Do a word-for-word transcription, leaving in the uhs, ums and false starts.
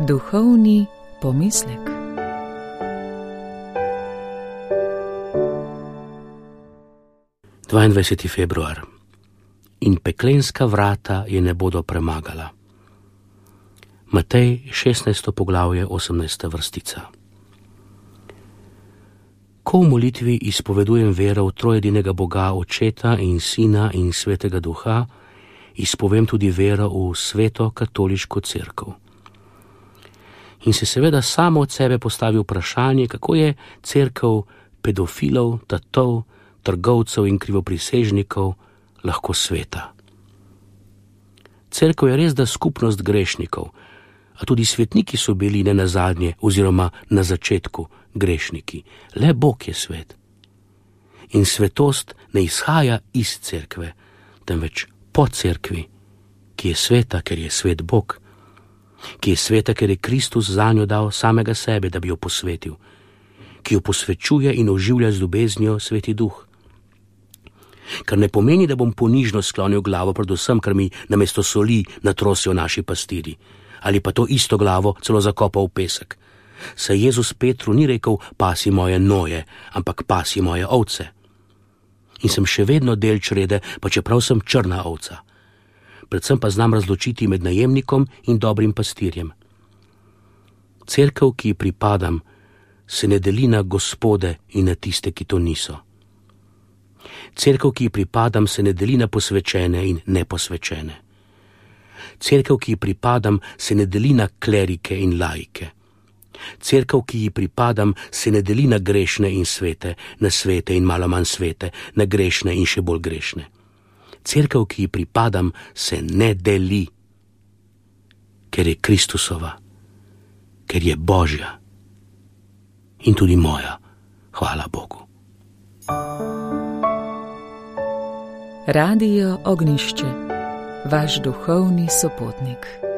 Duhovni pomislek. dvaindvajseti februar. In peklenska vrata je ne bodo premagala. Matej, šestnajsto poglavje, osemnajsta vrstica. Ko v molitvi izpovedujem vero v trojedinega Boga, Očeta in Sina in Svetega Duha, izpovem tudi vero v Sveto katoliško cerkev. In se seveda samo od sebe postavi vprašanje, kako je cerkev pedofilov, tatov, trgovcev in krivoprisežnikov lahko sveta. Cerkev je res da skupnost grešnikov, a tudi svetniki so bili ne nazadnje oziroma na začetku grešniki. Le Bog je svet. In svetost ne izhaja iz cerkve, temveč po cerkvi, ki je sveta, ker je svet Bog, ki je sveta, ker je Kristus zanjo dal samega sebe, da bi jo posvetil, ki jo posvečuje in oživlja z ljubeznijo Sveti Duh. Kar ne pomeni, da bom ponižno sklonil glavo predvsem, ker mi namesto soli natrosijo naši pastiri, ali pa to isto glavo celo zakopal v pesek. Saj Jezus Petru ni rekel, pasi moje noje, ampak pasi moje ovce. In sem še vedno del črede, pa čeprav sem črna ovca. Predvsem pa znam razločiti med najemnikom in dobrim pastirjem. Cerkev, ki ji pripadam, se ne deli na gospode in na tiste, ki to niso. Cerkev, ki ji pripadam, se ne deli na posvečene in neposvečene. Cerkev, ki ji pripadam, se ne deli na klerike in laike. Cerkev, ki ji pripadam, se ne deli na grešne in svete, na svete in malo manj svete, na grešne in še bolj grešne. Cerkev, ki ji pripadam, se ne deli, ker je Kristusova, ker je Božja in tudi moja, hvala Bogu. Radio Ognjišče, vaš duhovni sopotnik.